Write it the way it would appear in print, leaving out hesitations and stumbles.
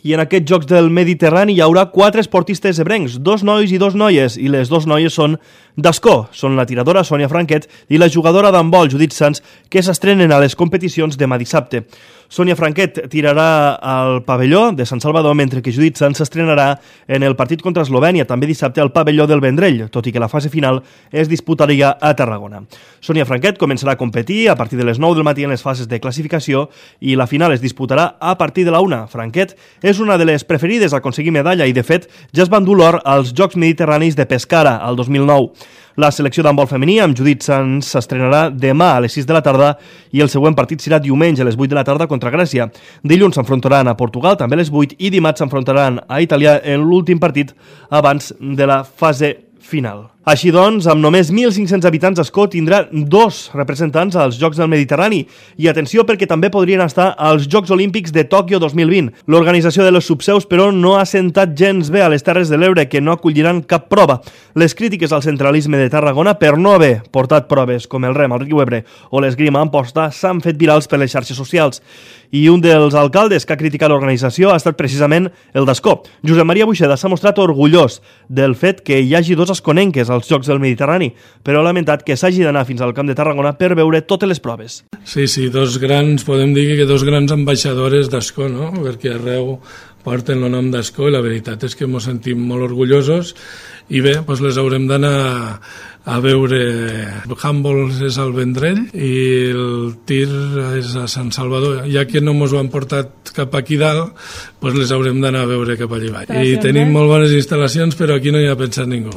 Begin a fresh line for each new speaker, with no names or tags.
i en aquests Jocs del Mediterrani hi haurà 4 esportistes ebrencs, 2 nois i 2 noies, i les 2 noies són d'Ascó. Són la tiradora Sònia Franquet i la jugadora d'handbol Judit Sans, que s'estrenen a les competicions demà dissabte. Sònia Franquet tirarà al pavelló de Sant Salvador, mentre que Judit Sans s'estrenarà en el partit contra Eslovènia, també dissabte al pavelló del Vendrell, tot i que la fase final es disputaria a Tarragona. Sònia Franquet començarà a competir a partir de les 9 del matí en les fases de classificació i la final es disputarà a partir de la 1. Franquet és una de les preferides a aconseguir medalla i, de fet, ja es van dur l'or als Jocs Mediterranis de Pescara, al 2009. La selecció d'handbol femení amb Judit Sans s'estrenarà demà a les 6 de la tarda i el següent partit serà diumenge a les 8 de la tarda contra Grècia. Dilluns s'enfrontaran a Portugal, també a les 8, i dimarts s'enfrontaran a Itàlia en l'últim partit abans de la fase final. Així doncs, amb només 1.500 habitants, Ascó tindrà 2 representants als Jocs del Mediterrani. I atenció, perquè també podrien estar als Jocs Olímpics de Tòquio 2020. L'organització de les subseus, però, no ha sentat gens bé a les Terres de l'Ebre, que no acolliran cap prova. Les crítiques al centralisme de Tarragona per no haver portat proves com el rem al riu Ebre o l'esgrima a Amposta s'han fet virals per les xarxes socials. I un dels alcaldes que ha criticat l'organització ha estat precisament el d'Ascó. Josep Maria Buixeda s'ha mostrat orgullós del fet que hi hagi 2 asconenques als Jocs del Mediterrani, però ha lamentat que s'hagi d'anar fins al Camp de Tarragona per veure totes les proves.
Sí, podem dir que 2 grans ambaixadores d'Ascó, no? Perquè arreu porten el nom d'Ascó i la veritat és que ens sentim molt orgullosos i bé, doncs les haurem d'anar a veure. El handball és al Vendrell i el tir és a Sant Salvador. Ja que no ens ho han portat cap aquí dalt, doncs les haurem d'anar a veure cap allà baix. I tenim molt bones instal·lacions, però aquí no hi ha pensat ningú.